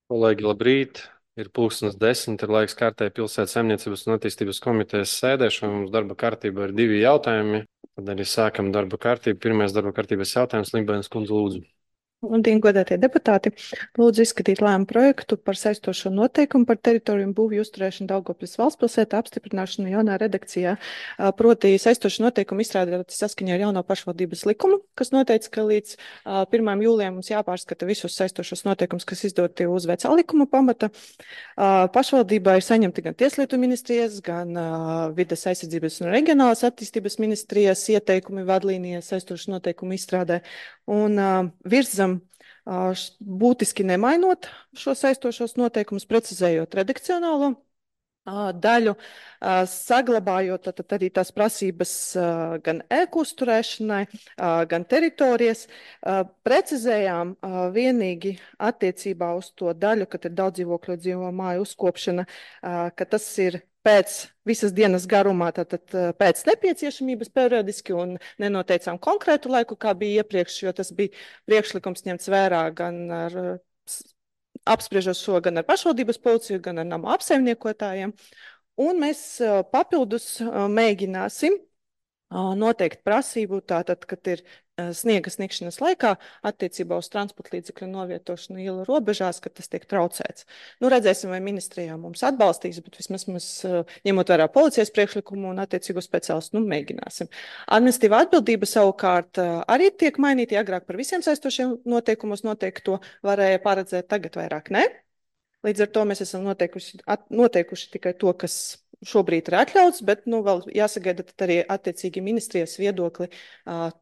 Kolēģi, labrīt! Ir 10:30, ir laiks kārtēji pilsētas saimniecības un attīstības komitejas sēdēšanai. Mums darba kārtībā ir divi jautājumi. Tad arī sākam darba kārtību. Pirmais darba kārtības jautājums - Limbēnas kundze, lūdzu. Labdien, godātie deputāti! Lūdzu izskatīt lēmumu projektu par saistošo noteikumu par teritoriju un būvju uzturēšanu Daugavpils valstspilsētā apstiprināšanu jaunā redakcijā. Proti saistošo noteikumu izstrādāt saskaņā ar jauno pašvaldības likumu, kas noteica, ka līdz 1. jūlijam mums jāpārskata visus saistošos noteikumus, kas izdoti uz vecā likuma pamata. Pašvaldībā ir saņemti gan Tieslietu ministrijas, gan Vides aizsardzības un reģionālās attīstības ministrijas ieteikumi vadlīnijas saistošu noteikumu izstrādē. Un virzam būtiski nemainot šo saistošos noteikumus, precizējot redakcionālo daļu, saglabājot arī tās prasības gan ēku uzturēšanai, gan teritorijas. Precizējām vienīgi attiecībā uz to daļu, kad ir daudz dzīvokļu dzīvo māju uzkopšana, ka tas ir pēc visas dienas garumā, tātad pēc nepieciešamības periodiski un nenoteicām konkrētu laiku, kā bija iepriekš, jo tas bija priekšlikums ņemts vērā gan ar apspriežot šo gan ar pašvaldības policiju, gan ar nama apsaimniekotājiem. Un mēs papildus mēģināsim noteikt prasību, tātad, kad ir sniega sniegšanas laikā attiecībā uz transporta līdzekļu novietošanu ielu robežās, ka tas tiek traucēts. Nu, redzēsim, vai ministrijā mums atbalstīs, bet vismaz mēs, ņemot vērā policijas priekšlikumu un attiecīgo speciālistu, mēģināsim. Administratīvā atbildība savukārt arī tiek mainīta. Agrāk par visiem saistošiem noteikumos noteikto varēja paredzēt, tagad vairāk ne. Līdz ar to mēs esam noteikuši tikai to, kas šobrīd ir atļauts, bet vēl jāsagaida arī attiecīgi ministrijas viedokli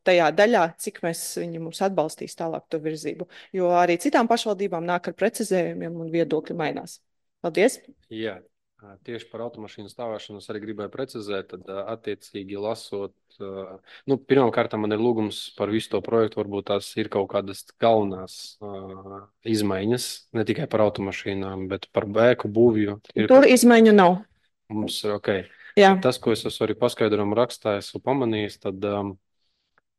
tajā daļā, cik viņi mums atbalstīs tālāk to virzību. Jo arī citām pašvaldībām nāk ar precizējumiem un viedokļi mainās. Paldies! Jā, tieši par automašīnu stāvēšanu es arī gribēju precizēt, tad attiecīgi lasot, pirmkārt man ir lūgums par visu to projektu, varbūt tās ir kaut kādas galvenās izmaiņas, ne tikai par automašīnām, bet par ēku būvju. Tur izmaiņu nav. Mums ir ok. Jā. Tas, ko es arī paskaidrojumu rakstā esmu pamanījis, tad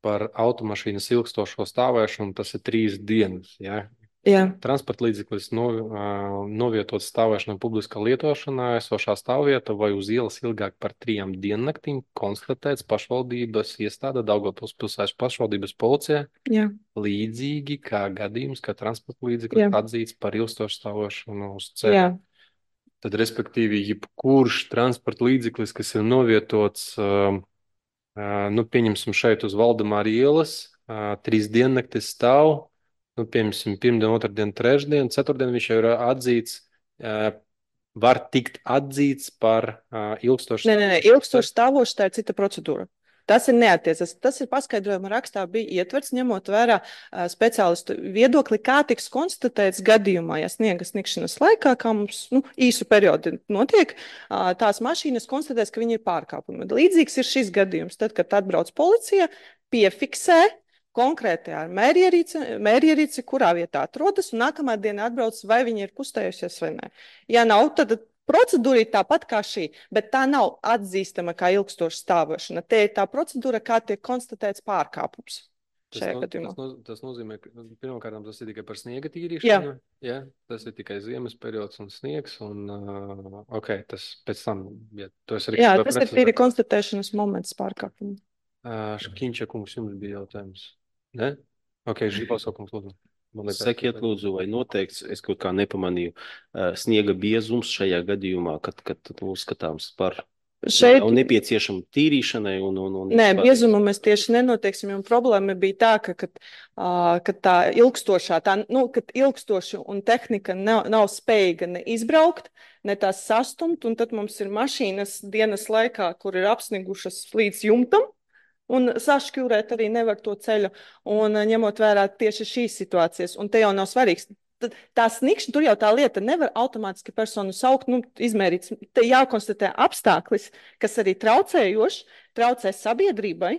par automašīnas ilgstošo stāvēšanu tas ir 3 dienas. Ja? Jā. Transporta līdzeklis novietots stāvēšanai publiskā lietošanā, esošā stāvvieta vai uz ielas ilgāk par 3 diennaktīm konstatēts pašvaldības iestāde Daugavpils pilsētas pašvaldības policija. Jā. Līdzīgi kā gadījums, ka transporta līdzeklis atzīts par ilgstošu stāvēšanu uz ceļa. Jā. Tad, respektīvi, jebkurš transporta līdzeklis, kas ir novietots, pieņemsim šeit uz Valdemāra ielas, 3 diennaktis stāv, pieņemsim pirmdien, otrdien, trešdien, ceturtdien viņš jau ir atzīts, var tikt atzīts par ilgstošu. Nē, ilgstošu stāvošu tā ir cita procedūra. Tas ir neatiecas. Tas ir paskaidrojuma rakstā bija ietverts, ņemot vērā speciālistu viedokli, kā tiks konstatēts gadījumā, ja sniega sniegšanas laikā, kā mums īsu periodu notiek, tās mašīnas konstatēs, ka viņi ir pārkāpumi. Līdzīgs ir šis gadījums. Tad, kad atbrauc policija, piefiksē konkrēti ar mērierīci, kurā vietā atrodas, un nākamā diena atbrauc, vai viņi ir kustējusies vai nē. Ja nav, tad procedūra ir tāpat kā šī, bet tā nav atzīstama kā ilgstoša stāvošana. Te ir tā procedūra, kā tiek konstatēts pārkāpums. Tas nozīmē, ka pirmkārt tas ir tikai par sniega tīrīšanu. Jā. Tas ir tikai ziemas periods un sniegs. Tas pēc tam, ja tu esi arī... Jā, tas ir tīri konstatēšanas moments pārkāpumu. Škiņča kungs, jums bija jautājums? Ne? Ok, Žipauskungs, lūdzu. Sakiet, lūdzu, vai noteikts, es kaut kā nepamanīju, sniega biezums šajā gadījumā, kad uzskatāms par nepieciešamu tīrīšanai? Nē, biezumu mēs tieši nenoteiksim, un problēma bija tā, ka tā ilgstošā, kad ilgstoša un tehnika nav spējīga ne izbraukt, ne tās sastumt, un tad mums ir mašīnas dienas laikā, kur ir apsnigušas līdz jumtam, un sašķūrēt arī nevar to ceļu, un ņemot vērā tieši šīs situācijas, un te jau nav svarīgs. Tā sniegšana, tur jau tā lieta nevar automātiski personu saukt, izmērīt. Te jākonstatē apstākļis, kas arī traucē sabiedrībai,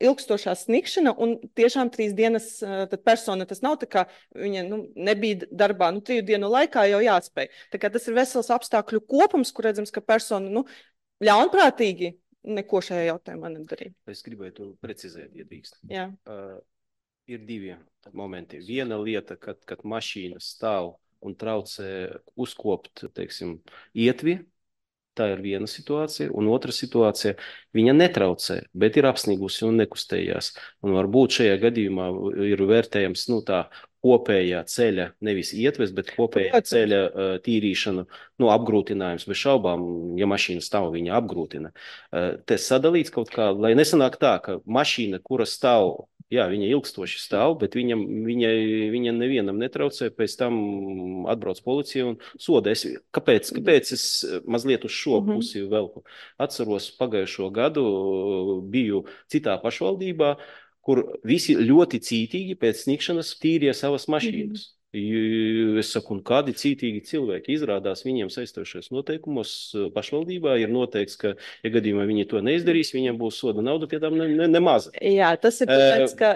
ilgstošā sniegšana, un tiešām 3 dienas tad persona, tas nav tā kā viņa nebija darbā, 3 dienu laikā jau jāatspēj. Tā kā tas ir vesels apstākļu kopums, kur redzams, ka persona ļaunprātīgi neko šajā jautājumā nedarīja. Es gribēju to precizēt, ja drīkst. Jā. Ir 2 momenti. Viena lieta, kad mašīna stāv un traucē uzkopt, teiksim, ietvi. Tā ir viena situācija, un otra situācija - viņa netraucē, bet ir apsnigusi un nekustējās. Un varbūt šajā gadījumā ir vērtējams tā kopējā ceļa, nevis ietves, bet kopējā ceļa tīrīšana, apgrūtinājums. Bez šaubām, ja mašīna stāv, viņa apgrūtina. Te sadalīts kaut kā, lai nesanāk tā, ka mašīna, kura stāv, jā, viņa ilgstoši stāv, bet viņa nevienam netraucē, pēc tam atbrauc policija un soda. Kāpēc es mazliet uz šo pusi velku? Atceros pagājušo gadu biju citā pašvaldībā, kur visi ļoti cītīgi pēc sniegšanas tīrīja savas mašīnas. Es saku, un kādi cītīgi cilvēki izrādās, viņiem saistošais noteikumos pašvaldībā ir noteikts, ka, ja gadījumā viņi to neizdarīs, viņiem būs soda nauda, pie tam nemaza. Jā, tas ir tāpēc, ka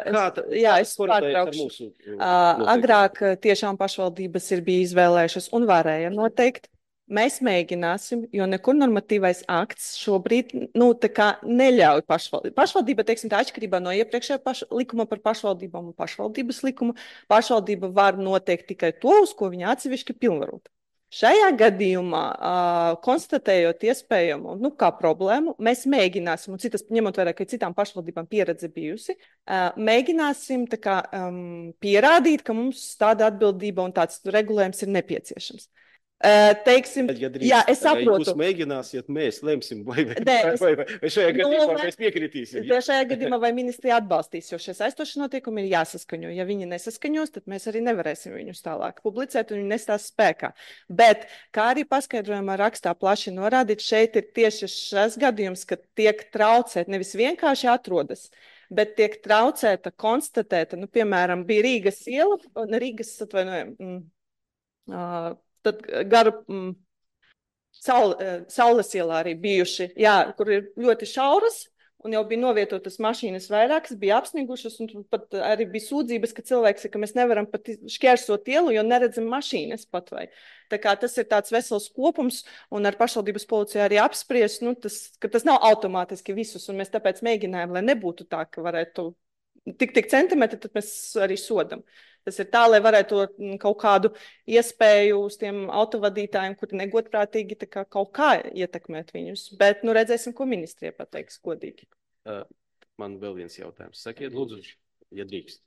es pārtraukšu. Agrāk tiešām pašvaldības ir bija izvēlējušas un varēja noteikt. Mēs mēģināsim, jo nekur normatīvais akts šobrīd neļauj pašvaldību. Pašvaldība, teiksim, tā atšķirībā no iepriekšējā likuma par pašvaldībām un pašvaldības likumu, pašvaldība var noteikt tikai to, uz ko viņa atsevišķi pilnvarot. Šajā gadījumā, konstatējot iespējamu kā problēmu, mēs mēģināsim, un ņemot vērā, ka citām pašvaldībām pieredze bijusi, mēģināsim pierādīt, ka mums tāda atbildība un tāds regulējums ir nepieciešams. Teiksim, jā, es saprotu. Jūs mēģināsiet, mēs lemsim, vai šajā gadījumā mēs piekritīsim. Šajā gadījumā vai ministrija atbalstīs, jo šie saistošie noteikumi ir jāsaskaņo. Ja viņi nesaskaņos, tad mēs arī nevarēsim viņus tālāk publicēt un viņi nestās spēkā. Bet, kā arī paskaidrojumā rakstā plaši norādīt, šeit ir tieši šis gadījums, ka tiek traucēt, nevis vienkārši atrodas, bet tiek traucēta, konstatēta, piemēram, bija Rīgas iela, tad garu Saules ielā arī bijuši, jā, kur ir ļoti šauras, un jau bija novietotas mašīnas vairākas, bija apsnigušas, un pat arī bija sūdzības, ka cilvēks ir, ka mēs nevaram pat šķērsot ielu, jo neredzam mašīnas pat vai. Tā kā tas ir tāds vesels kopums, un ar pašvaldības policiju arī apspriest, ka tas nav automātiski visus, un mēs tāpēc mēģinājām, lai nebūtu tā, ka varētu tik centimetri, tad mēs arī sodam. Tas ir tā, lai varētu kaut kādu iespēju uz tiem autovadītājiem, kuri negodprātīgi kaut kā ietekmēt viņus. Bet redzēsim, ko ministrija pateiks godīgi. Man vēl viens jautājums. Sakiet, lūdzu, ja drīkst.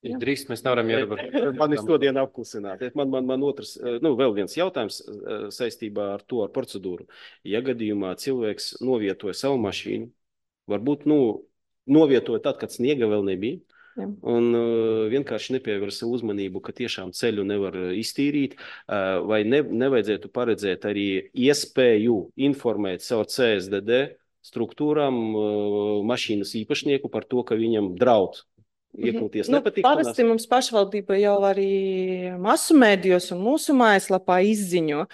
Ja drīkst, mēs nevaram ierobežot. Man ir šodien apklusināt. Man otrs, vēl viens jautājums saistībā ar to, ar procedūru. Ja gadījumā cilvēks novietoja savu mašīnu, varbūt, novietoja tad, kad sniega vēl nebija, un vienkārši nepievērsa uzmanību, ka tiešām ceļu nevar iztīrīt, vai nevajadzētu paredzēt arī iespēju informēt caur CSDD struktūrām mašīnas īpašnieku par to, ka viņam draud iekļūties nepatikšanās. Parasti mums pašvaldība jau arī masu mēdījos un mūsu mājaslapā izziņo.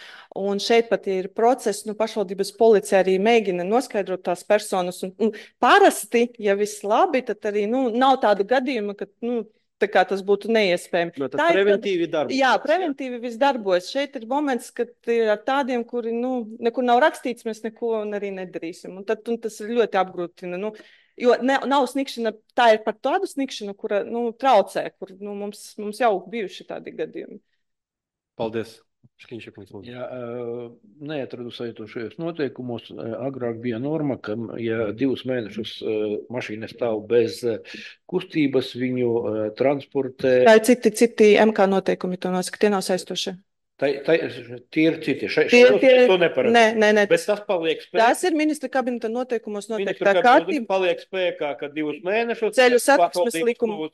Un šeit pat ir process, pašvaldības policija arī mēģina noskaidrot tās personas. Un parasti, ja viss labi, tad arī nav tādu gadījumu, ka tā kā tas būtu neiespējami. Tas preventīvi darbojas. Jā, preventīvi viss darbojas. Šeit ir moments, kad ir ar tādiem, kuri nekur nav rakstīts, mēs neko arī nedarīsim. Un tas ir ļoti apgrūtina. Jo nav sniegšana, tā ir par tādu sniegšanu, kura traucē, kur mums jau bijuši tādi gadījumi. Paldies. Jā, neatradu saitošajos noteikumos. Agrāk bija norma, ka ja 2 mēnešus mašīna stāv bez kustības, viņu transportē. Tā ir citi MK noteikumi, to nosaka, tie nav saistošie. Tie ir citi. To neparedz. Nē. Bet tas paliek spēkā. Tas ir ministra kabineta noteikumos noteikti. Tā kārtība paliek spēkā, ka 2 mēnešus ceļu satiksmes likumu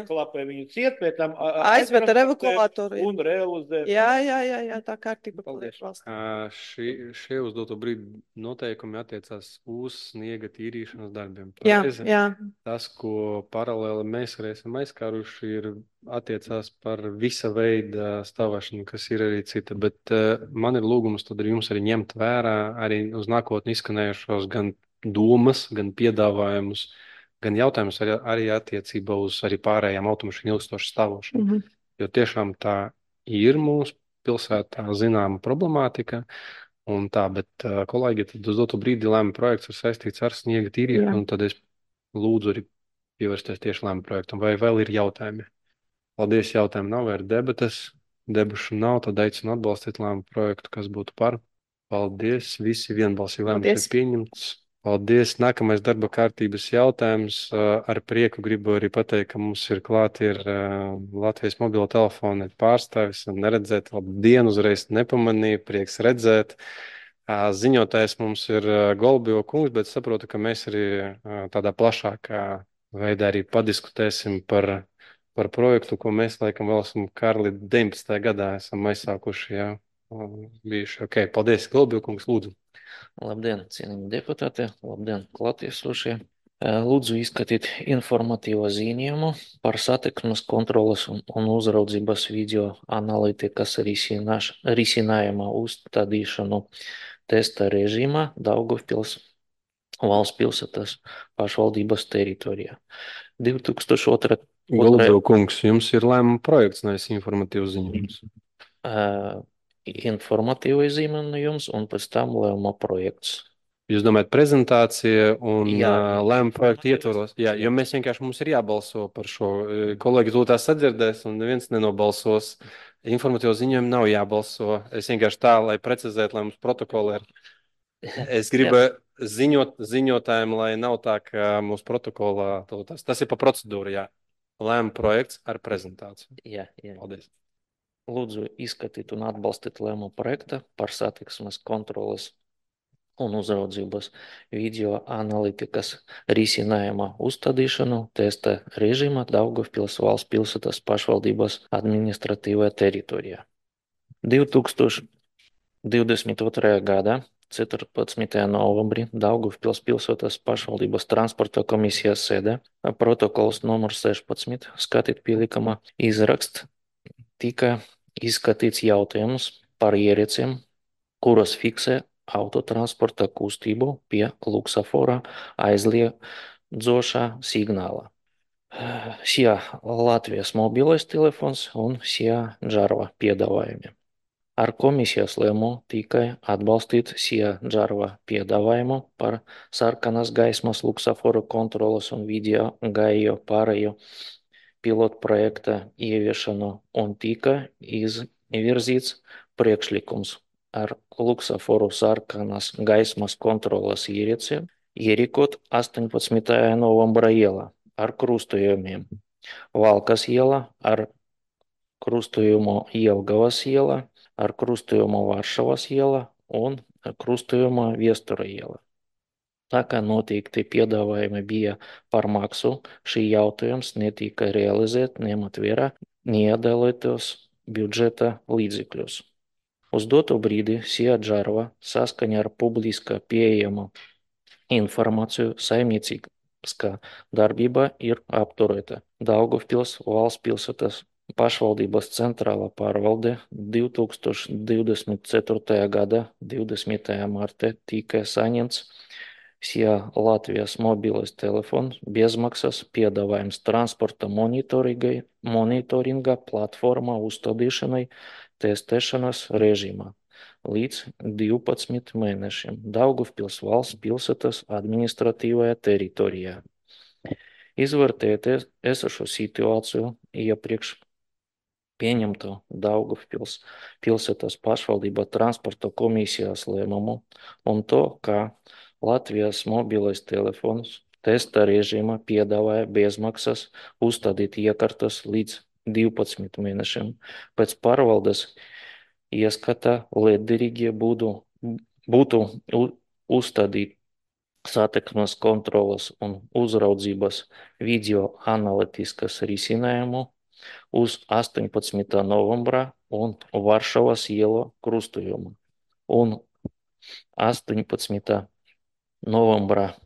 klapē viņu ciet, pēc tam aizved ar evakuātoru. Un realizēt. Jā, tā kārtība paliek valstī. Šie uz doto brīdi noteikumi attiecās uz sniega tīrīšanas darbiem. Jā. Tas, ko paralēli mēs arī esam aizskāruši, ir attiecās par visa veida stāvēšanu, kas ir arī cita, bet man ir lūgums tad jums arī ņemt vērā arī uz nākotni izskanējušos gan domas, gan piedāvājumus, gan jautājumus arī attiecībā uz arī pārējām automašīnu ilgstošu stāvošanu. Jo tiešām tā ir mūsu pilsētā zināma problemātika, un tā, bet kolēģi, tad uz doto brīdi lēma projekts ir saistīts ar sniega tīrīšanu, un tad es lūdzu arī pievērsties tieši lēma projektam. Vai vēl ir jautājumi? Paldies, jautājumi nav, vai ir debates? Debušu nav, tad aicinu atbalstīt lēmumu projektu, kas būtu par. Paldies, visi vienbalsīgi lēmums ir Paldies. pieņemts. Paldies. Nākamais darba kārtības jautājums. Ar prieku gribu arī pateikt, ka mums ir klāt Latvijas mobilo telefona pārstāvis un neredzēt. Labdien, uzreiz nepamanīju, prieks redzēt. Ziņotājs mums ir Golbio kungs, bet saprotu, ka mēs arī tādā plašākā veidā arī padiskutēsim par projektu, ko mēs laikam vēl esam Karli 19. gadā esam aizsākuši, jā, bijuši. Ok, paldies, Golbio kungs, lūdzu. Labdien, cienījami deputāti, labdien, klātiesošie. Lūdzu izskatīt informatīvo ziņojumu par satiksmes kontroles un uzraudzības video analītikas risinājuma uzstādīšanu testa režīmā Daugavpils valsts pilsētas pašvaldības teritorijā. 2002. Golbio kungs, jums ir lēmuma projekts, nevis informatīvs ziņojums. Informatīvais ziņojums un pēc tam lēmuma projekts. Jūs domājat prezentācija un Jā. lēmuma projektu ietvaros? Jā, jo mēs vienkārši mums ir jābalso par šo. Kolēģi to tā sadzirdēs un neviens nenobalsos. Informatīvo ziņojumu nav jābalso. Es vienkārši tā, lai precizētu, lai mums protokoli ir. Es gribu ziņotājiem, lai nav tā, ka mūsu protokolā tas ir pa procedūru, jā. Lēmuma projekts ar prezentāciju. Jā. Paldies. Lūdzu izskatīt un atbalstīt lēmumu projekta par satiksmes kontroles un uzraudzības video analītikas risinājuma uzstādīšanu testa režīmā Daugavpils valsts pilsētas pašvaldības administratīvajā teritorijā. 2022. gada 14. novembrī Daugavpils pilsētas pašvaldības transporta komisijas sēdē protokols numur 16 skatīt pielikama izraksts tika izskatīts jautājums par ierīcēm, kuras fiksē autotransporta kustību pie luksafora aizliedzošā signāla. SIA Latvijas mobilais telefons un SIA Džarva piedāvājumi. Ar komisijas lēmumu tikai atbalstīt SIA Džarva piedāvājumu par sarkanas gaismas luksaforu kontroles un video gāju pārēju pilotu projekta ieviešanu un tika izvirzīts priekšlikums ar luksaforu sarkanas gaismas kontroles ierīci ierīkot 18. novembra ielā ar krustojumiem. Valkas iela ar krustojumu Jelgavas iela, ar krustojumu Varšavas iela un ar krustojumu Viestura iela. Tā kā noteikti piedāvājumi bija par maksu, šī jautājums netika realizēt, ņemot vērā neiedalītos budžeta līdzekļus. Uz doto brīdi SIA Džarva saskaņā ar publiskā pieejamo informāciju saimnieciskā darbība ir apturēta. Daugavpils valsts pilsētas pašvaldības centrālā pārvalde 2024. gada 20. martā tika saņemts SIA Latvijas mobilais telefons bezmaksas piedāvājums transporta monitoringa platformā uzstādīšanai testēšanas režīmā līdz 12 mēnešiem Daugavpils valsts pilsētas administratīvajā teritorijā. Izvērtējot esošo situāciju iepriekš pieņemto Daugavpils pilsētas pašvaldība transporta komisijas lēmumu un to, ka Latvijas mobilais telefons testa režīmā piedāvāja bezmaksas uzstādīt iekārtas līdz 12 mēnešiem. Pēc pārvaldes ieskata lietderīgi būtu uzstādīt satiksmes kontroles un uzraudzības video analītiskas risinājumu uz 18. novembra un Varšavas ielu krustojumu un 18. novembra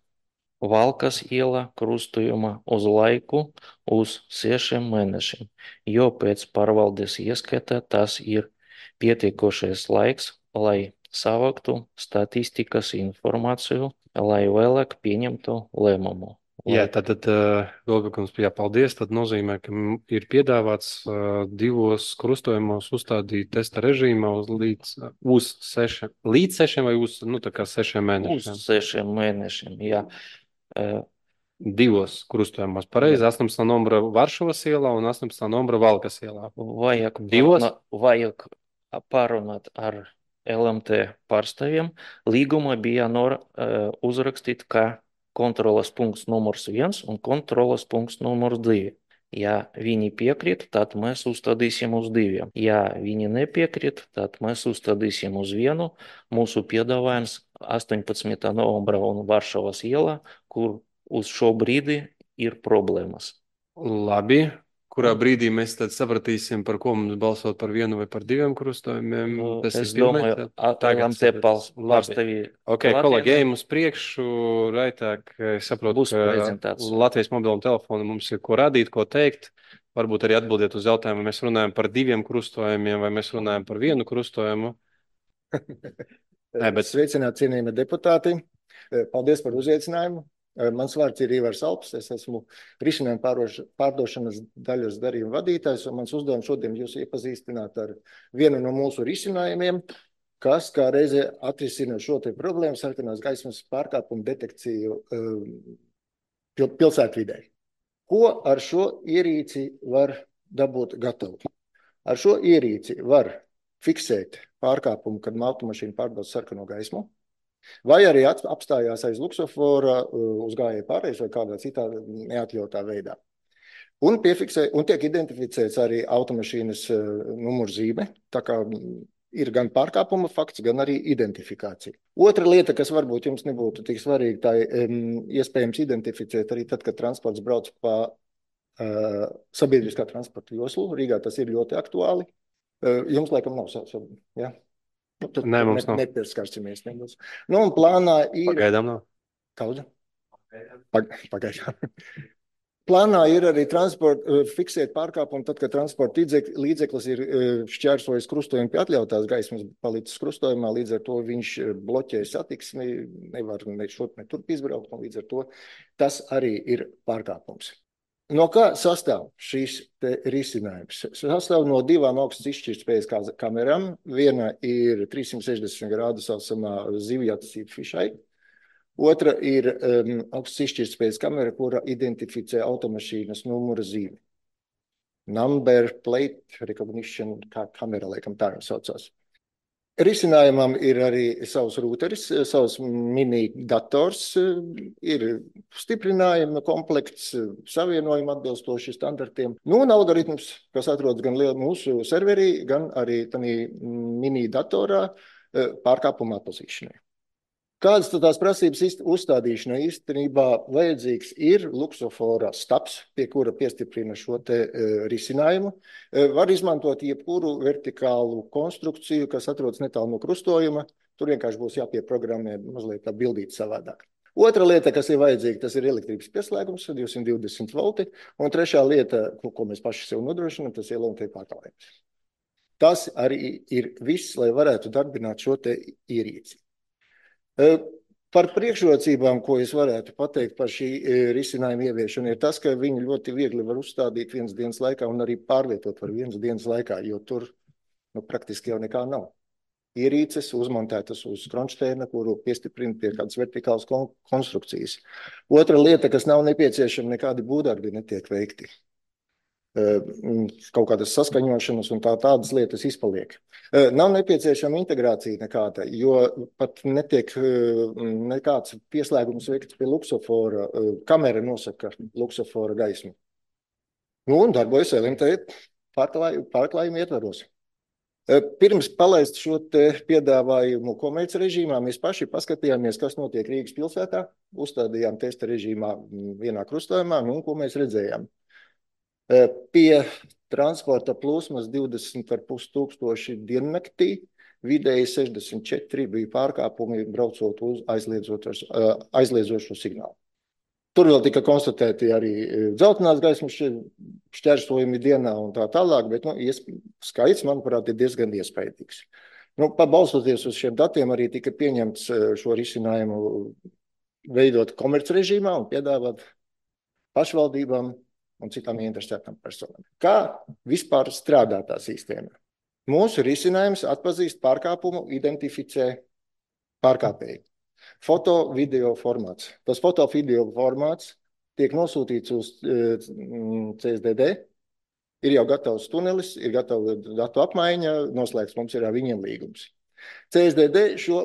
Valkas iela krustojuma uz laiku uz 6 mēnešiem, jo pēc pārvaldes ieskata tas ir pietiekošais laiks, lai savāktu statistikas informāciju, lai vēlāk pieņemtu lēmumu. Jā, tad Golbekums, paldies. Tad nozīmē, ka ir piedāvāts divos krustojumos uzstādīt testa režīmā līdz 6 vai uz 6 mēnešiem? Uz 6 mēnešiem, jā. divos krustojumos. Pareizi, 18. numura Varšavas ielā un 18. numura Valkas ielā. Divos? Vajag pārunāt ar LMT pārstāvjiem. Līgumā bija uzrakstīt, ka kontrolas punkts numurs 1 un kontrolas punkts numurs 2. Ja viņi piekrīt, tad mēs uzstādīsim uz 2. Ja viņi nepiekrīt, tad mēs uzstādīsim uz 1. Mūsu piedāvājums 18. novembra un Varšavas ielā, kur uz šo brīdi ir problēmas. Labi. Kurā brīdī mēs tad sapratīsim, par ko mums balsot par 1 vai par 2 krustojumiem? Es domāju, LMT pārstāvji. Ok, kolēģi, ejam uz priekšu, raitāk, es saprotu, Būs ka prezentācija. Latvijas mobilam telefonu mums ir ko radīt, ko teikt. Varbūt arī atbildiet uz jautājumu, vai mēs runājam par 2 krustojumiem, vai mēs runājam par 1 krustojumu. Sveicināt, cienījamie deputāti. Paldies par uzaicinājumu. Mans vārds ir Ivars Alps. Es esmu risinājuma pārdošanas daļas darījuma vadītājs, un mans uzdevums šodien jūs iepazīstināt ar vienu no mūsu risinājumiem, kas kā reizē atrisina šo te problēmu sarkanās gaismas pārkāpumu detekciju pilsētvidē. Ko ar šo ierīci var dabūt gatavu? Ar šo ierīci var fiksēt pārkāpumu, kad automašīna pārbauda sarkano gaismu, vai arī apstājās aiz luksofora uz gājēju pārējas vai kādā citā neatļautā veidā. Un tiek identificēts arī automašīnas numurzīme, tā kā ir gan pārkāpuma fakts, gan arī identifikācija. Otra lieta, kas varbūt jums nebūtu tik svarīga, tā iespējams identificēt arī tad, kad transports brauc pa sabiedriskā transporta joslu. Rīgā tas ir ļoti aktuāli. Jums laikam nav ja? Nē, mums nav. Nepieskarsimies. Nu, un plānā ir... Pagaidām nav. Kaudze? Pagaidām. Plānā ir arī fiksēt pārkāpumu, tad, kad transporta līdzeklis ir šķērsojis krustojumu pie atļautās gaismas, palicis krustojumā, līdz ar to viņš bloķē satiksmi, nevar ne šurp, ne turp izbraukt, un līdz ar to tas arī ir pārkāpums. No kā sastāv šīs risinājums? Sastāv no 2 augstas izšķirtspējas kamerām. Viena ir 360 grādu saucamā zivjatasība fišai. Otra ir augstas izšķirtspējas kamera, kura identificē automašīnas numura zīmi. Number plate recognition kamera, laikam tā jau saucās. Risinājumam ir arī savs rūteris, savs mini dators, ir stiprinājuma komplekts, savienojuma atbilstoši standartiem. Nu, un algoritms, kas atrodas gan mūsu serverī, gan arī mini datorā pārkāpuma atpazīšanai. Kādas tad tās prasības uzstādīšanai īstenībā vajadzīgs ir luksofora stabs, pie kura piestiprina šo te risinājumu. Var izmantot jebkuru vertikālu konstrukciju, kas atrodas netālu no krustojuma. Tur vienkārši būs jāpieprogrammē mazliet tā bildīt savādāk. Otra lieta, kas ir vajadzīga, tas ir elektrības pieslēgums, 220 volti. Un trešā lieta, ko mēs paši sev nodrošinām, tas ir LMT pārklājums. Tas arī ir viss, lai varētu darbināt šo te ierīci. Par priekšrocībām, ko es varētu pateikt par šī risinājuma ieviešanu, ir tas, ka viņi ļoti viegli var uzstādīt 1 dienas laikā un arī pārvietot var 1 dienas laikā, jo tur praktiski jau nekā nav. Ierīces uzmontētas uz kronšteina, kuru piestiprina pie kādas vertikālas konstrukcijas. Otra lieta, kas nav nepieciešama, nekādi būvdarbi netiek veikti. Kaut kādas saskaņošanas un tādas lietas izpaliek. Nav nepieciešama integrācija nekāda, jo pat netiek nekāds pieslēgums veikts pie luksofora. Kamera nosaka luksofora gaismu. Nu, un darbojas LMT pārklājumu ietvaros. Pirms palaist šo te piedāvājumu komerc režīmā, mēs paši paskatījāmies, kas notiek Rīgas pilsētā. Uzstādījām testa režīmā vienā krustojumā, un ko mēs redzējām. Pie transporta plūsmas 20,5 tūkstoši diennaktī, vidēji 64 bija pārkāpumi braucot uz aizliedzošo signālu. Tur vēl tika konstatēti arī dzeltenās gaismas šķērsojumi dienā un tā tālāk, bet skaits, manuprāt, ir diezgan iespaidīgs. Balstoties uz šiem datiem, arī tika pieņemts šo risinājumu veidot komerc režīmā un piedāvāt pašvaldībām un citām interesētām personām. Kā vispār strādā tā sistēma? Mūsu risinājums atpazīst pārkāpumu, identificē pārkāpēju. Foto-video formāts. Tas foto-video formāts tiek nosūtīts uz CSDD, ir jau gatavs tunelis, ir gatava datu apmaiņa, noslēgts mums ir ar viņiem līgums. CSDD šo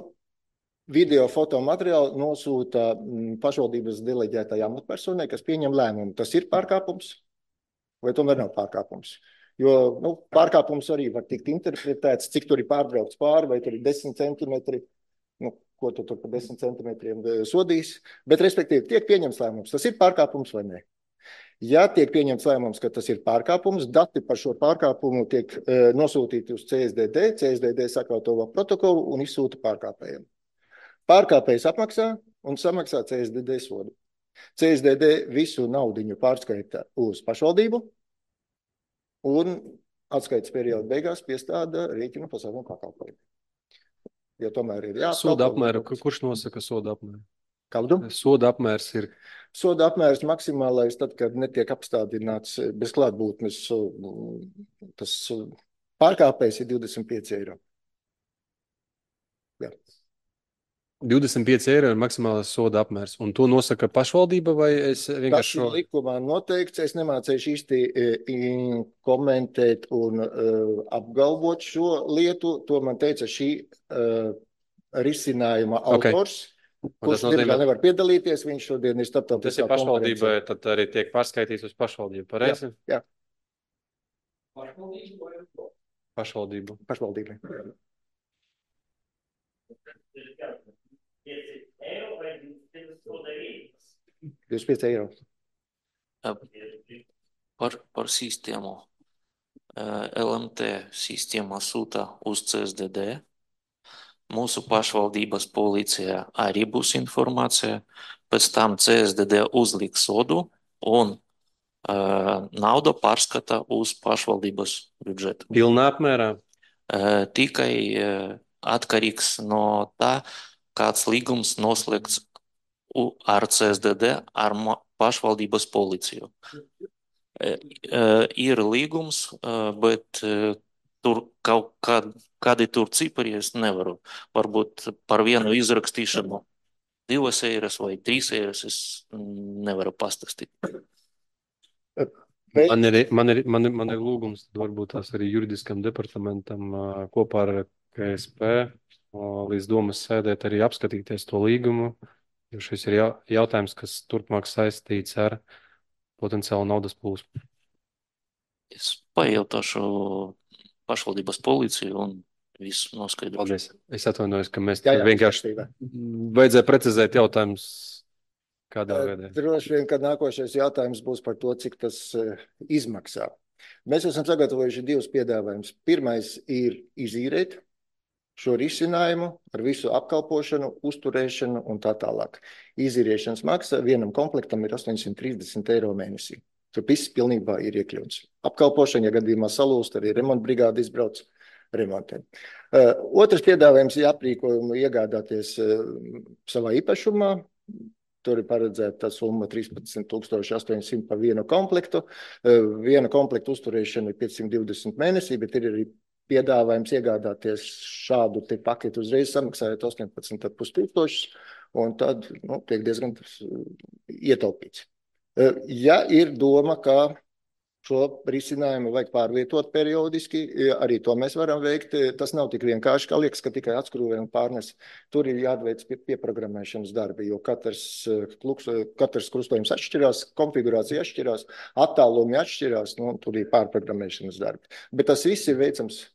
video fotomateriālu nosūta pašvaldības deleģētajai amatpersonai, kas pieņem lēmumu. Tas ir pārkāpums vai tomēr nav pārkāpums? Jo pārkāpums arī var tikt interpretēts, cik tur ir pārbraukts pāri, vai tur ir 10 centimetri, ko tu tur par 10 centimetriem sodīs, bet respektīvi tiek pieņemts lēmums, tas ir pārkāpums vai ne. Ja tiek pieņemts lēmums, ka tas ir pārkāpums, dati par šo pārkāpumu tiek nosūtīti uz CSDD, CSDD sakārto protokolu un izsūta pārkāpējiem. Pārkāpējs apmaksā un samaksā CSDD sodu. CSDD visu naudiņu pārskaita uz pašvaldību un atskaites perioda beigās piestāda rēķinu pasākumu pakalpojumu. Jo tomēr ir Soda apmēru, kurš nosaka soda apmēru? Kādu? Soda apmērs ir? Soda apmērs maksimālais tad, kad netiek apstādināts bez klātbūtnes, tas pārkāpējs ir 25 eiro. Jā. 25 eiro ir maksimālais soda apmērs, un to nosaka pašvaldība vai es vienkārši Tas ir likumā noteikts, es nemācēšu īsti komentēt un apgalvot šo lietu, to man teica šī risinājuma autors, kurš diemžēl nevar piedalīties, viņš šodien ir starptautiskā konferencē. Tas ir pašvaldība, tad arī tiek pārskaitīts uz pašvaldību, pareizi? Jā. Pašvaldību. Pašvaldībai. 25 eiro. Par sistēmu. LMT sistēma sūta uz CSDD. Mūsu pašvaldības policijā arī būs informācija. Pēc tam CSDD uzliks sodu un naudu pārskata uz pašvaldības budžetu. Pilnā apmērā? Tikai atkarīgs no tā, kāds līgums noslēgts ar CSDD, ar pašvaldības policiju. Ir līgums, bet tur kaut kādi tur cipari es nevaru. Varbūt par vienu izrakstīšanu 2 eiras vai 3 eiras es nevaru pastāstīt. Man ir lūgums, varbūt tās arī juridiskam departamentam kopā ar KSP līdz domas sēdēt arī apskatīties to līgumu, jo šis ir jautājums, kas turpmāk saistīts ar potenciālu naudas plūsmu. Es pajautāšu pašvaldības policiju un visu noskaidrošu. Paldies. Es atvainojos, ka mēs vienkārši vajadzēja precizēt jautājumus kādā veidā. Droši vien, ka nākošais jautājums būs par to, cik tas izmaksā. Mēs esam sagatavojuši 2 piedāvājumus. Pirmais ir izīrēt šo risinājumu ar visu apkalpošanu, uzturēšanu un tā tālāk. Izīriešanas maksa vienam komplektam ir 830 eiro mēnesī. Tur viss pilnībā ir iekļauts. Apkalpošana, ja gadījumā salūst, arī remontbrigāde izbrauc remontiem. Otrs piedāvājums ir aprīkojumu iegādāties savā īpašumā. Tur ir paredzēta summa 13,800 par vienu komplektu. Viena komplektu uzturēšana ir 520 mēnesī, bet ir arī piedāvājums iegādāties šādu te paketu uzreiz samaksājot 18,5 tūkstošus, un tad tiek diezgan ietaupīts. Ja ir doma, ka šo risinājumu vajag pārvietot periodiski, arī to mēs varam veikt. Tas nav tik vienkārši, kā liekas, ka tikai atskrūvē un pārnes. Tur ir jāatveic pieprogrammēšanas darbi, jo katrs krustojums atšķirās, konfigurācija atšķirās, attālumi atšķirās, tur ir pārprogrammēšanas darbi. Bet tas viss ir veicams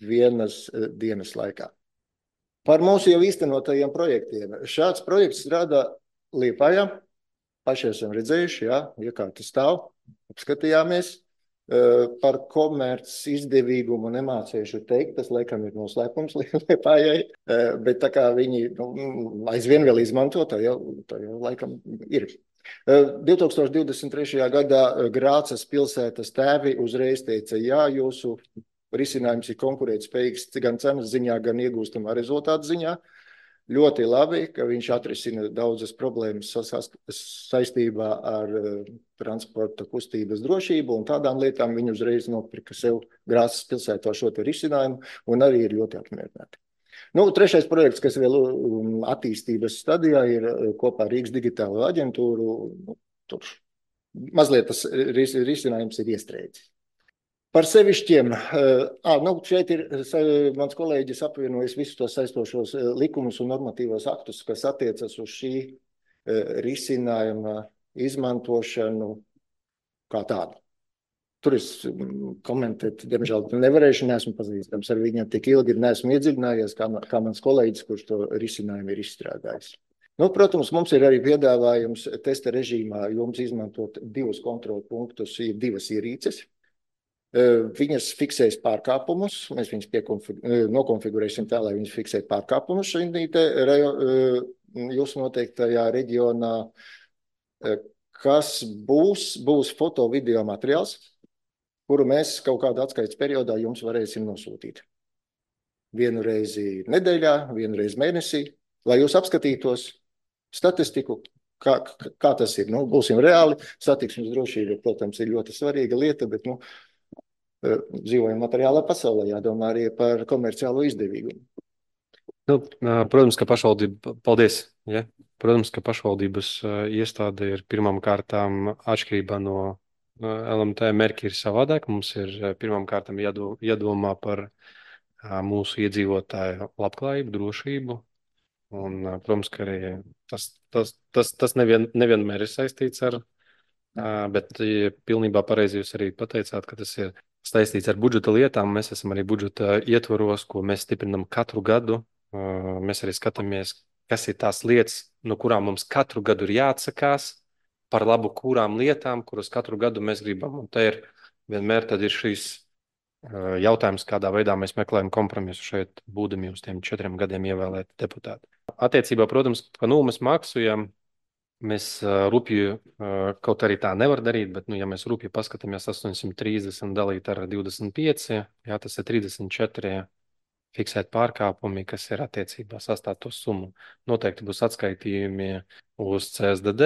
vienas dienas laikā. Par mūsu jau īstenotajiem projektiem. Šāds projekts strādā Liepājā. Paši esam redzējuši, iekārta stāv, apskatījāmies. Par komerc izdevīgumu nemācēšu teikt, tas laikam ir noslēpums Liepājai, bet tā kā viņi aizvien vēl izmanto, tā jau laikam ir. 2023. gadā Grācas pilsētas tēvi uzreiz teica, jūsu risinājums ir konkurētspējīgs gan cenas ziņā, gan iegūstamā rezultātu ziņā. Ļoti labi, ka viņš atrisina daudzas problēmas saistībā ar transporta kustības drošību un tādām lietām. Viņi uzreiz nopirka sev Grāzes pilsētā šo te risinājumu un arī ir ļoti apmierināti. Nu, trešais projekts, kas vēl attīstības stadijā, ir kopā ar Rīgas digitālo aģentūru. Nu, tur mazliet tas risinājums ir iestrēdzis. Par sevišķiem, šeit ir mans kolēģis apvienojis visus tos saistošos likumus un normatīvos aktus, kas attiecas uz šī risinājuma izmantošanu kā tādu. Tur es komentēt, diemžēl nevarēšu, neesmu pazīstams ar viņiem tik ilgi, neesmu iedziļinājies, kā mans kolēģis, kurš to risinājumu ir izstrādājis. Nu, protams, mums ir arī piedāvājums testa režīmā jums izmantot 2 kontrolu punktus, ir 2 ierīces. Viņas fiksēs pārkāpumus, mēs viņas nokonfigurēsim tā, lai viņas fiksē pārkāpumus jūsu noteiktajā reģionā, kas būs foto video materiāls, kuru mēs kaut kādā atskaites periodā jums varēsim nosūtīt. Vienu reizi nedēļā, vienu reizi mēnesī, lai jūs apskatītos statistiku, kā tas ir. Nu, būsim reāli, satiksmes drošība, protams, ir ļoti svarīga lieta, bet, dzīvojam materiālā pasaulē, jādomā arī par komerciālo izdevīgumu. Nu, protams, ka pašvaldība, paldies, ja? Protams, ka pašvaldības iestāde ir pirmām kārtām atšķirībā no LMT mērķi ir savādāk. Mums ir pirmām kārtām jādomā par mūsu iedzīvotāju labklājību, drošību. Un, protams, ka arī tas nevienmēr ir saistīts ar, bet pilnībā pareizi jūs arī pateicāt, ka tas ir saistīts ar budžeta lietām. Mēs esam arī budžeta ietvaros, ko mēs stiprinam katru gadu. Mēs arī skatāmies, kas ir tās lietas, no kurām mums katru gadu ir jāatsakās, par labu kurām lietām, kuras katru gadu mēs gribam. Un te ir vienmēr tad ir šīs jautājums, kādā veidā mēs meklējam kompromisu šeit, būdami uz tiem 4 gadiem ievēlēt deputāti. Attiecībā, protams, pa nulles maksu, ja mēs rupju, kaut arī tā nevar darīt, bet, ja mēs rupju paskatāmies 830 dalīt ar 25, jā, tas ir 34 fiksēt pārkāpumi, kas ir attiecībā sastāv to summu. Noteikti būs atskaitījumi uz CSDD,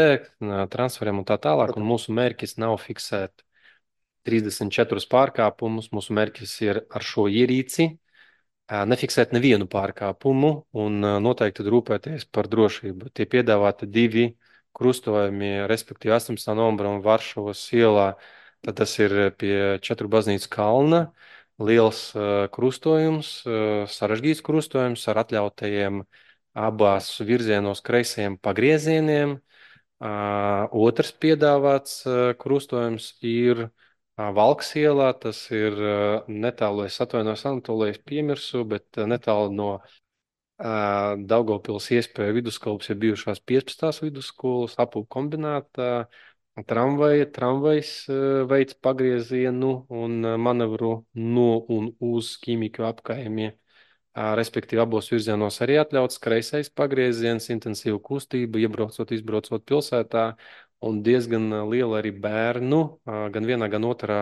transferiem un tā tālāk, un mūsu mērķis nav fiksēt 34 pārkāpumus, mūsu mērķis ir ar šo ierīci nefiksēt nevienu pārkāpumu un noteikti rūpēties par drošību. Tie piedāvāti 2 krustojumi, respektīvi 18. novembra un Varšavas ielā, tad tas ir pie 4 baznīcas kalna, liels krustojums, sarežģīts krustojums ar atļautajiem abās virzienos kreisajiem pagriezieniem. Otrs piedāvāts krustojums ir Valkas ielā, tas ir netālu, es atvainojos Anatolijas piemirsu, bet netālu no Daugavpils iespēja vidusskolas ir bijušās 15. vidusskolas, apūku kombinātā, tramvajs veids pagriezienu un manevru no un uz ķīmiku apkājumiem. Respektīvi abos virzienos arī atļauts kreisais pagrieziens, intensīva kustība, iebraucot, izbraucot pilsētā un diezgan liela arī bērnu, gan vienā, gan otrā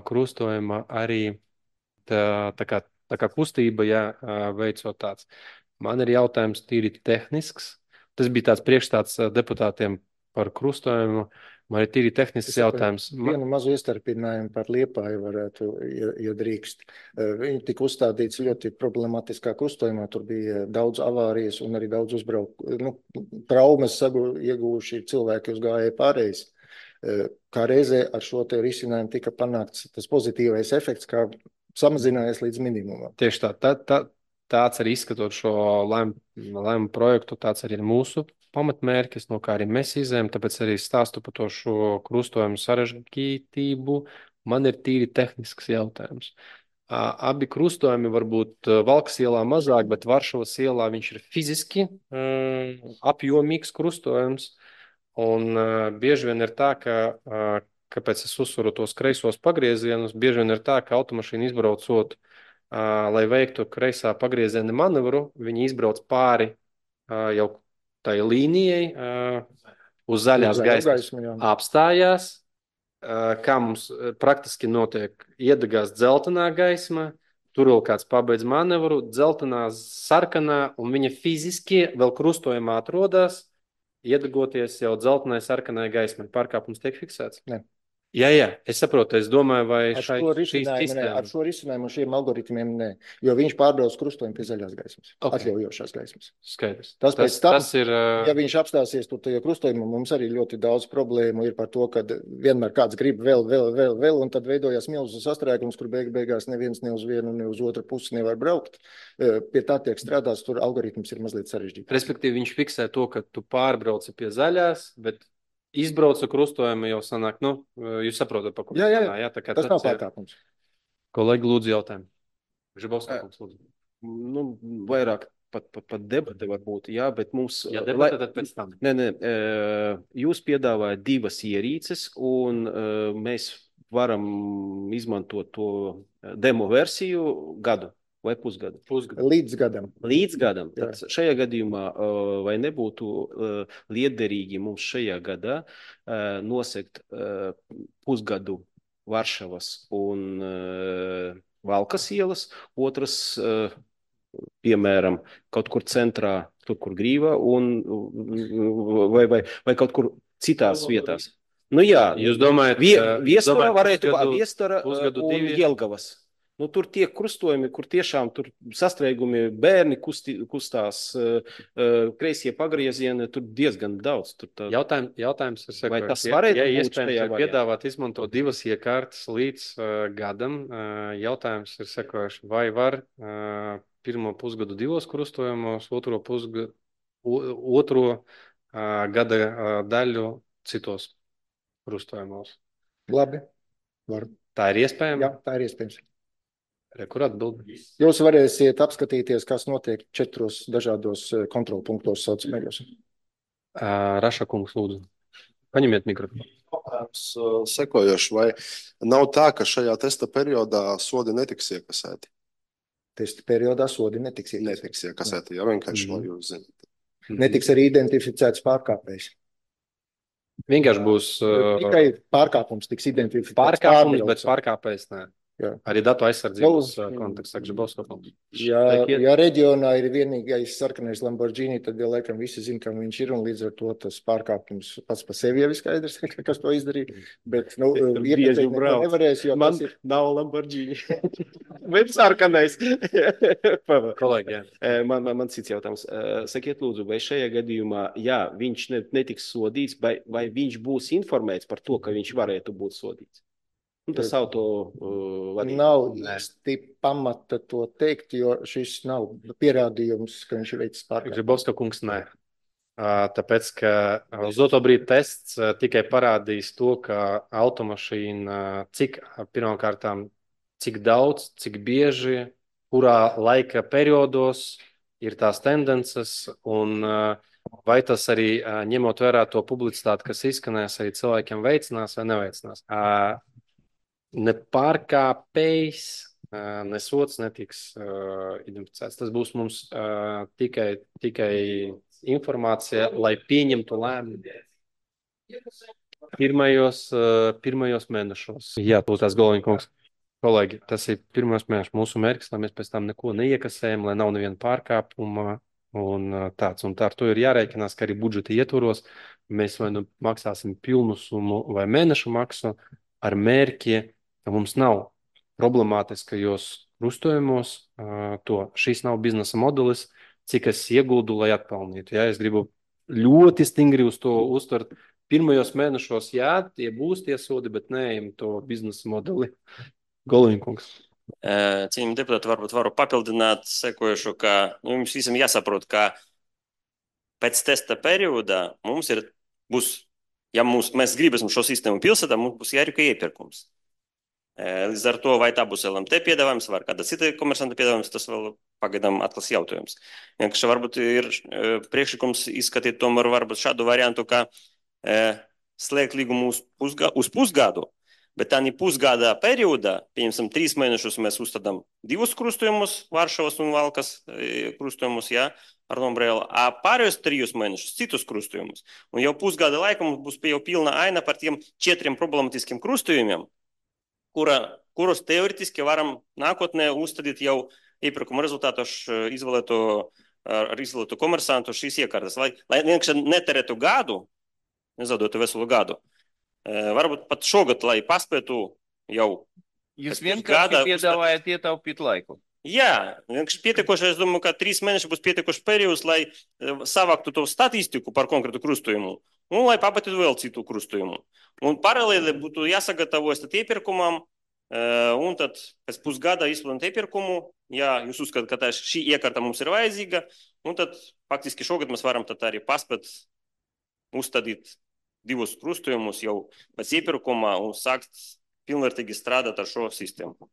krustojuma arī tā kā kustība, ja veicot tāds. Man ir jautājums tīri tehnisks. Tas bija tāds priekšstats deputātiem par krustojumu. Man ir tīri tehnisks jautājums. Vienu mazu iestarpinājumu par Liepāju varētu, ja drīkst. Viņi tika uzstādīts ļoti problemātiskā krustojumā. Tur bija daudz avārijas un arī daudz traumas iegūši cilvēki uz gājēju pārējais. Kā reizē ar šo te risinājumu tika panākts tas pozitīvais efekts, kā samazinājies līdz minimumam. Tieši tāds arī izskatot šo lēmumu projektu, tāds arī ir mūsu pamatmērķis, no kā arī mēs izējam, tāpēc arī stāstu par to šo krustojumu sarežģītību. Man ir tīri tehnisks jautājums. Abi krustojumi varbūt Valkas ielā mazāk, bet Varšavas ielā viņš ir fiziski apjomīgs krustojums, un bieži vien ir tā, kāpēc es uzsveru tos kreisos pagriezienus, bieži vien ir tā, ka automašīna izbraucot, lai veiktu kreisā pagrieziena manevru, viņi izbrauc pāri jau tai līnijai uz zaļās gaismas, apstājās, kā mums praktiski notiek, iedegās dzeltenā gaisma, tur vēl kāds pabeidz manevru, dzeltenā, sarkanā, un viņa fiziski vēl krustojumā atrodas, iedegoties jau dzeltenai, sarkanai gaismai. Pārkāpums tiek fiksēts? Ne. Jā, es saprotu, es domāju, vai Ar šī šo risinājumu, sistēma. ar šo risinājumu un šiem algoritmiem nē, jo viņš pārbrauc krustojumu pie zaļās gaismas, atļaujošās gaismas. Skaidrs. Tas pēc tam, tas ir. Ja viņš apstāsies tur tajā krustojumā, mums arī ļoti daudz problēmu ir par to, ka vienmēr kāds grib vēl, un tad veidojās milzu sastrēgums, kur beigās neviens ne uz vienu, ne uz otru pusi nevar braukt. Pie tā tiek strādāts, tur algoritms ir mazliet sarežģīts. Respektīvi, viņš fiksē to, ka tu pārbrauci pie zaļās, bet izbraucu krustojumu jau sanāk, jūs saprotat, pa ko Jā, tas nav pārkāpums. Kolēģi, lūdzu jautājumu. Žibovskis, lūdzu. Vairāk pat debate varbūt, jā, bet mums... Jā, debate tad pēc tam. Nē, jūs piedāvājat divas ierīces, un mēs varam izmantot to demo versiju gadu vai pusgadu? Līdz gadam. Līdz gadam. Tad šajā gadījumā vai nebūtu liederīgi mums šajā gadā nosegt pusgadu Varšavas un Valkas ielas, otras, piemēram, kaut kur centrā, tur, kur Grīva, vai kaut kur citās vietās. Jā, jūs domājat, Viestura varētu Viestura pusgadu un divi? Jelgavas. Tur tie krustojumi, kur tiešām tur sastrēgumi, bērni kustās, kreisie pagriezieni, tur diezgan daudz. Jautājums ir sekojošs. Vai tas varētu būt iespējams šajā variantā? Piedāvāt izmantot divas iekārtas līdz gadam, jautājums ir sekojošs. Vai var pirmo pusgadu divos krustojumos, otro gada daļu citos krustojumos? Labi, var. Tā ir iespējama? Jā, tā ir iespējams. Kur atbild? Jūs varēsiet apskatīties, kas notiek 4 dažādos kontrolpunktos saucamajos. Raša kungs, lūdzu. Paņemiet mikrofonu. Sekojoši, vai nav tā, ka šajā testa periodā sodi netiks iekasēti? Testa periodā sodi netiks iekasēti. Netiks iekasēti, jā, vienkārši, lai jūs zināt. Netiks arī identificēts pārkāpējs. Vienkārši būs Tikai pārkāpums tiks identificēts. pārkāpums, bet pārkāpējs nē. Jā. Arī datu aizsardzības kontekstā, Žibovskis. Ja reģionā ir vienīgais sarkanais Lamborghini, tad jau laikam visi zina, kam viņš ir, un līdz ar to tas pārkāpums pats par sevi jau ir skaidrs, kas to izdarīja. Bet, iepazīt nevarēs, jo Man tas ir... nav Lamborghini. Bet sarkanais. Kolēģi, jā. Man cits jautājums. Sakiet, lūdzu, vai šajā gadījumā, jā, viņš netiks sodīts, vai viņš būs informēts par to, ka viņš varētu būt sodīts? Tas auto vadīt. Nav īsti pamata to teikt, jo šis nav pierādījums, ka viņš ir veicis pārkāpumu. Žibovska kungs, nē. Tāpēc, ka uz doto brīdi tests tikai parādīs to, ka automašīna pirmkārtām, cik daudz, cik bieži, kurā laika periodos ir tās tendences, un vai tas arī ņemot vērā to publicitāti, kas izskanēs, arī cilvēkiem veicinās vai neveicinās. Ne pārkāpējs, ne sots netiks identificēts. Tas būs mums tikai informācija, lai pieņemtu lēmumu pirmajos mēnešos. Jā, tās Goliņa kungs. Kolēģi, tas ir pirmos mēnešus mūsu mērķis, lai mēs pēc tam neko neiekasējam, lai nav neviena pārkāpuma un tāds. Un tā ar to ir jārēķinās, ka arī budžeta ietvaros mēs vai nu maksāsim pilnu summu vai mēnešu maksu ar mērķi, ka mums nav problemātiskajos krustojumos šīs nav biznesa modelis, cik es ieguldu, lai atpelnītu. Ja? Es gribu ļoti stingri uz to uztvert. Pirmajos mēnešos, jā, tie būs tie sodi, bet neejam to biznesa modeli. Goliņkungs. Cienījami deputāti, varbūt varu papildināt sekojušu, ka jums visam jāsaprot, ka pēc testa periodā mēs gribēsim šo sistēmu pilsētā, mums būs jārīko iepirkums. Līdz ar to, vai tā būs LMT piedāvājums, vai kāda cita komersanta piedāvājums, tas vēl pagaidām atklās jautājums. Vienkārši varbūt ir priekšlikums izskatīt tomēr varbūt šādu variantu, ka slēgt līgumu uz pusgadu, bet tā pusgada periodā, pieņemsim 3 mēnešus, mēs uzstādām 2 krustojumus, Varšavas un Valkas krustojumus, jā, ar nombrēlu, a pārējos 3 mēnešus citus krustojumus. Un jau pusgada laika mums būs jau pilna aina par tiem 4 problematiskiem krustojumiem, kurus teoretiski varam nākotnē uzstādīt jau iepirkuma rezultātos izvēlētu komersantu šīs iekārtas, lai vienkārši neterētu gadu, nezaudētu veselu gadu. Varbūt pat šogad, lai paspētu jau. Jūs Pēc vienkārši pusgada piedāvājat ietaupīt laiku. Jā, vienkārši pietiekoši, es domāju, ka 3 mēneši būs pietiekoši periods, lai savāktu to statistiku par konkrētu krustojumu un lai pabatītu vēl citu krustojumu. Un paralēli būtu jāsagatavojas tad iepirkumam, un tad pēc pusgada izplānot iepirkumu, ja jūs uzskatāt, ka šī iekārta mums ir vajadzīga, un tad faktiski šogad mēs varam tad arī paspēt uzstādīt 2 krustojumus jau pēc iepirkuma un sākt pilnvērtīgi strādāt ar šo sistēmu.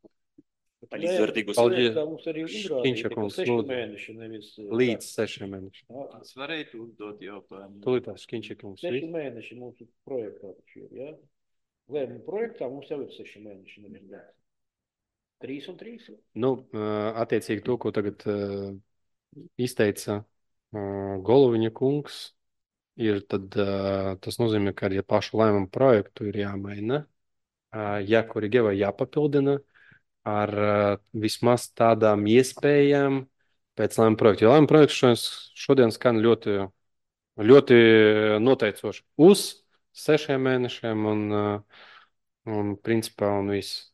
Līdzvērtīgus. Paldies. Mums arī Šķiņša kungs, 6 lūdzu. mēneši, nevis Līdz 6 mēnešiem. Es varētu uzdot jautājumu. Tūlītās Šķiņša kungs. 6 mēneši mums ir projektā taču ir, ja? Lēmumu projektā mums jau ir 6 mēneši, nevis 3 un 3. Nu, attiecīgi to, ko tagad izteica Goloviņa kungs, ir tad tas nozīmē, ka arī pašu lēmumu projektu ir jāmaina, jākorigē vai jāpapildina ar vismaz tādām iespējām pēc lēmuma projekta. Jo lēmuma projekts šodien skan ļoti, ļoti noteicoši uz 6 mēnešiem un principā un viss.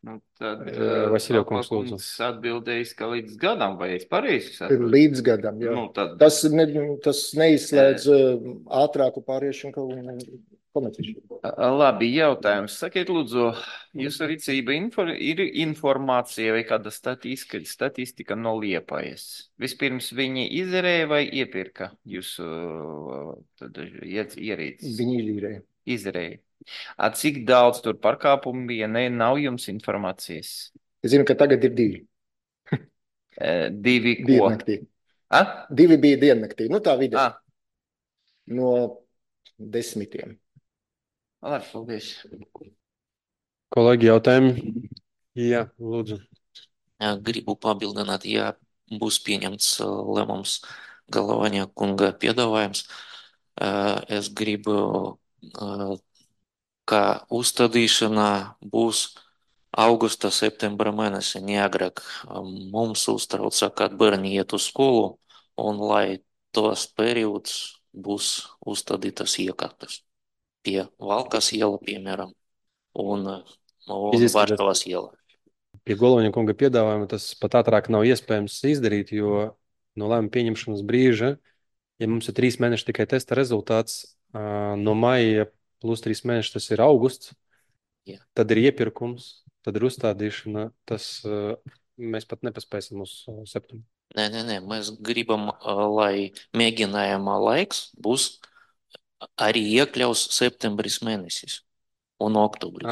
Nu, tad Vasiljev kungs, lūdzu. Atbildējis, ka līdz gadam, vai es pareizi saprotu? Līdz gadam, jā. Nu, tad Tas neizslēdz ātrāku pāriešanu komerciālu. labi, jautājums. Sakiet, lūdzu, jūsu rīcība ir informācija vai kāda statistika no Liepājas? Vispirms viņi izerēja vai iepirka jūsu ierīces? Viņi izīrēja. Izerēja. Cik daudz tur pārkāpumu bija, nav jums informācijas? Es zinu, ka tagad ir 2. 2 ko? Diennaktī. 2 bija diennaktī. Nu tā vidē. No 10. Labi, paldies. Kolēģi, jautājumi? Jā, lūdzu. Gribu papildināt, ja būs pieņemts lēmums Galavaņa kunga piedāvājums. Es gribu, ka uzstādīšana būs augusta, septembra mēnesi, neagrāk. Mums uztrauca, kad bērni iet uz skolu, un lai tos periods būs uzstādītas iekārtas pie Valkas iela, piemēram, un Varšavas iela. Pie Goloviņa kunga piedāvājuma tas pat ātrāk nav iespējams izdarīt, jo no lēmuma pieņemšanas brīža, ja mums ir 3 mēneši tikai testa rezultāts, no maija plus 3 mēneši tas ir augusts, Jā. Tad ir iepirkums, tad ir uzstādīšana, tas mēs pat nepaspēsim uz septembri. Nē, mēs gribam, lai mēģinājuma laiks būs arī iekļaus septembris mēnesis un oktobris,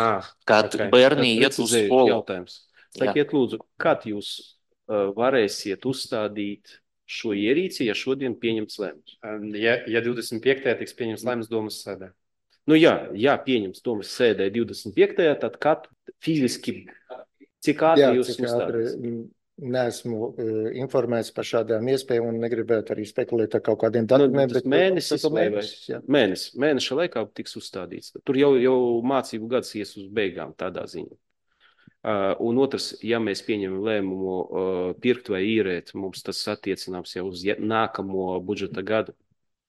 kad bērni iet uz skolu. Jautājums. Sakiet, lūdzu, kad jūs varēsiet uzstādīt šo ierīci, ja šodien pieņemts lēmums? Ja 25. tiks pieņemts lēmums domas sēdē. Nu jā, pieņems domas sēdē 25. tad kad fiziski, cik ātri jūs uzstādīs? Neesmu informēts par šādām iespējām un negribētu arī spekulēt ar kaut kādiem datumiem. Tas mēneša laikā tiks uzstādīts. Tur jau mācību gads ies uz beigām tādā ziņā. Un otrs, ja mēs pieņemam lēmumu pirkt vai īrēt, mums tas attiecināms jau uz nākamo budžeta gadu.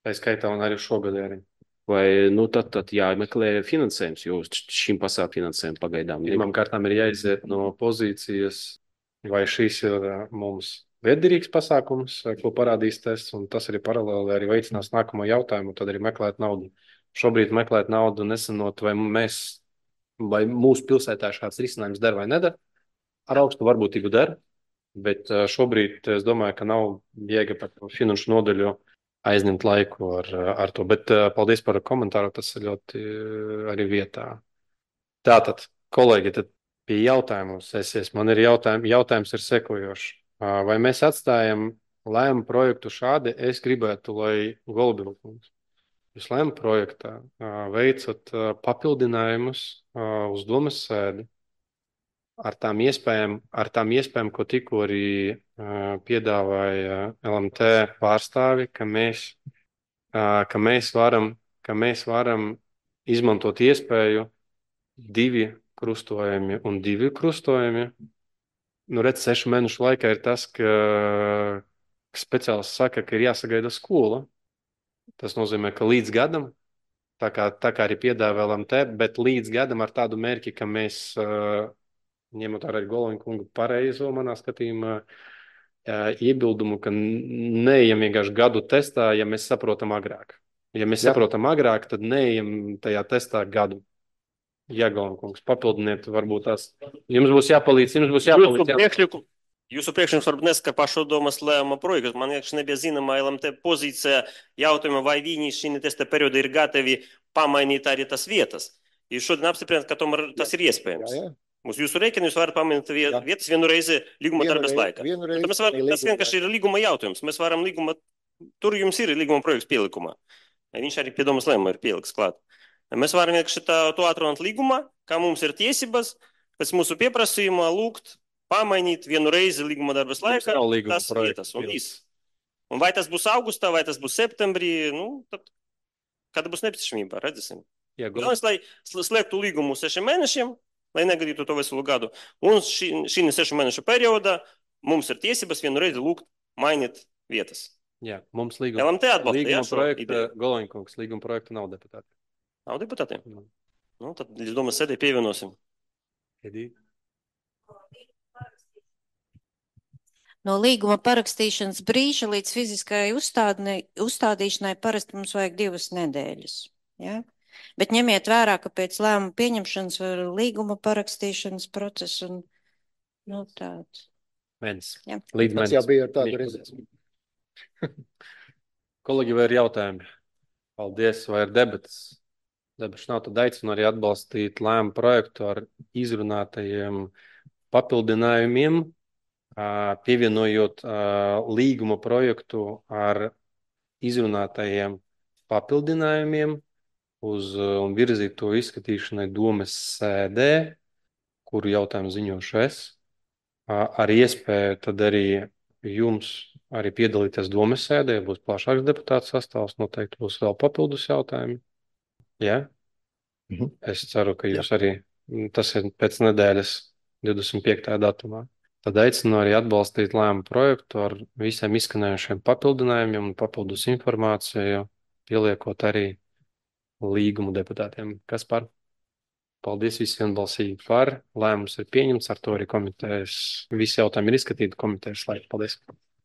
Tā skaitā un arī šogad arī. Vai tad jāmeklē finansējums, jo šim pasākt finansējumu pagaidām. Pirmām kārtām ir jāiziet no pozīcijas, vai šīs ir mums lietderīgs pasākums, ko parādīs tests, un tas arī paralēli arī veicinās nākamo jautājumu, tad arī meklēt naudu. Šobrīd meklēt naudu nesanot, vai mūsu pilsētā šāds risinājums der vai nedara. Ar augstu varbūtību der, bet šobrīd es domāju, ka nav jēga par finanšu nodaļu aizņemt laiku ar to. Bet paldies par komentāru, tas ir ļoti arī vietā. Tātad, kolēģi, tad pie jautājumu sesies. Man ir jautājums ir sekojošs. Vai mēs atstājam lēmumu projektu šādi? Es gribētu, lai Goloviņš jūs lēmumu projektā veicat papildinājumus uz domas sēdi ar tām iespējām, ko tikko arī piedāvāja LMT pārstāvi, ka mēs varam izmantot iespēju 2 krustojumi un 2 krustojumi. Nu, redz, 6 mēnešu laikā ir tas, ka speciālists saka, ka ir jāsagaida skola. Tas nozīmē, ka līdz gadam Tā kā arī piedāvā LMT, bet līdz gadam ar tādu mērķi, ka mēs, ņemot arī Goloņa kungu pareizo manā skatījumā, iebildumu, ka neejam vienkārši gadu testā, ja mēs saprotam agrāk. Ja mēs saprotam agrāk, tad neejam tajā testā gadu. Jā, Goloņa kungs, papildiniet, varbūt tās. Jums būs jāpalīdz. Jūsu priekšlikums varbūt neskar pašdomas lēmuma projektu. Man liekas, nebija zināma LMT pozīcija jautājumā, vai viņi šī testa periodā ir gatavi pamainīt arī tas vietas. Jūs šodien apstiprināt, ka tomēr tas ir iespējams. Uz jūsu rēķinu jūs varat pamainīt vietas vienu reizi līguma darbības laikā. Tas vienkārši ir līguma jautājums. Mēs varam līguma, tur jums ir līguma projekts pielikumā. Viņš arī pie domas lēmuma ir pieliks klāt. Mēs varam vienkārši to atrunāt līgumā, kā mums ir tiesības pēc mūsu pieprasījuma lūgt pamainīt vienu reizi līguma darbas laikā tas vietas un viss. Un vai tas būs augustā, vai tas būs septembrī, tad kāda būs nepieciešamība, redzēsim. Galvenais, lai slēgtu līgumu 6 mēnešiem, lai negadītu to veselu gadu. Un šī 6 mēnešu periodā mums ir tiesības vienu reizi lūgt mainīt vietas. Jā, mums līguma projekta, Goloņa kungs, līguma projekta nav deputāti. Nav deputātiem? Tad līdz domas sēdē pievienosim. No līguma parakstīšanas brīža līdz fiziskai uzstādīšanai parasti mums vajag 2 nedēļas. Ja? Bet ņemiet vērā, ka pēc lēmuma pieņemšanas var līguma parakstīšanas procesu un tāds. Mēnesis. Ja. Līdz mēnesis. Tas jau bija ar tādu redzējumu. Kolēģi, vai ir jautājumi? Paldies, vai ir debatas? Debatas nav, tad aicinu arī atbalstīt lēmumu projektu ar izrunātajiem papildinājumiem, pievienojot līguma projektu ar izrunātajiem papildinājumiem un virzīt to izskatīšanai domes sēdē, kuru jautājumu ziņošu es, ar iespēju tad arī jums arī piedalīties domes sēdē, būs plašāks deputāts sastāvs, noteikti būs vēl papildus jautājumi. Jā? Es ceru, ka jūs arī, tas ir pēc nedēļas 25. datumā. Tad aicinu arī atbalstīt lēmumu projektu ar visiem izskanējušiem papildinājumiem un papildus informāciju, pieliekot arī līgumu deputātiem. Kas par? Paldies visiem balsīgi par. Lēmums ir pieņemts, ar to arī komitejas, visi jautājumi ir izskatīti komitejas laikā. Paldies.